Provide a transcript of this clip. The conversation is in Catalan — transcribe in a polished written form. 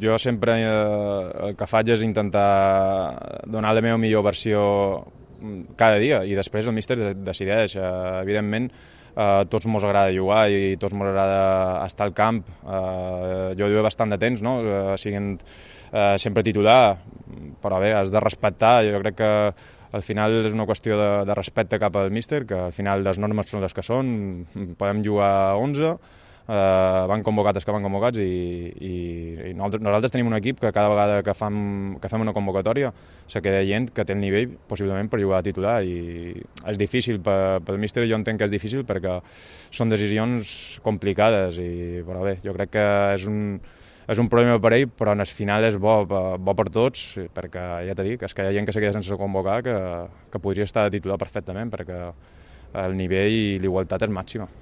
Jo sempre el que faig és intentar donar la meva millor versió cada dia i després el míster decideix. Evidentment, tots mos agrada jugar i tots mos agrada estar al camp. Jo he bastant de temps, no? Siguent sempre titular, però bé, has de respectar. Jo crec que al final és una qüestió de respecte cap al míster, que al final les normes són les que són, podem jugar 11, van convocats els que van convocats i nosaltres tenim un equip que cada vegada que fem una convocatòria se queda gent que té el nivell possiblement per jugar a titular i és difícil pel míster, jo entenc que és difícil perquè són decisions complicades, però bé, jo crec que és un problema per ell, però en el final és bo per tots, perquè ja t'he dit, és que hi ha gent que se queda sense convocar que podria estar de titular perfectament perquè el nivell i l'igualtat és màxima.